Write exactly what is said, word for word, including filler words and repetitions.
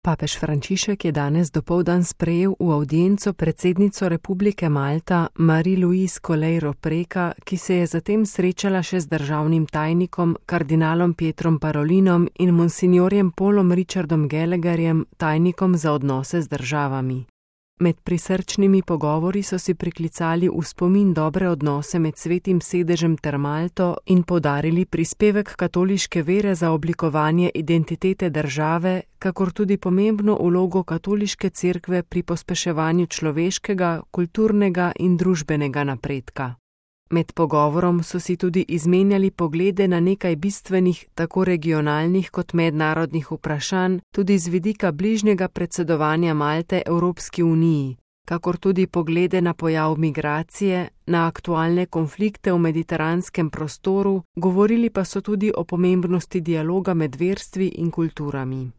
Papež Frančišek je danes dopoldan sprejel v avdienco predsednico Republike Malta Marie-Louise Coleiro Preca, ki se je zatem srečala še z državnim tajnikom, kardinalom Pietrom Parolinom in monsignorjem Paulom Richardom Gallagherjem, tajnikom za odnose z državami. Med prisrčnimi pogovori so si priklicali v spomin dobre odnose med Svetim sedežem ter Malto in poudarili prispevek katoliške vere za oblikovanje identitete države, kakor tudi pomembno vlogo katoliške cerkve pri pospeševanju človeškega, kulturnega in družbenega napredka. Med pogovorom so si tudi izmenjali poglede na nekaj bistvenih, tako regionalnih kot mednarodnih vprašanj, tudi z vidika bližnjega predsedovanja Malte Evropski uniji, kakor tudi poglede na pojav migracije, na aktualne konflikte v mediteranskem prostoru, govorili pa so tudi o pomembnosti dialoga med verstvi in kulturami.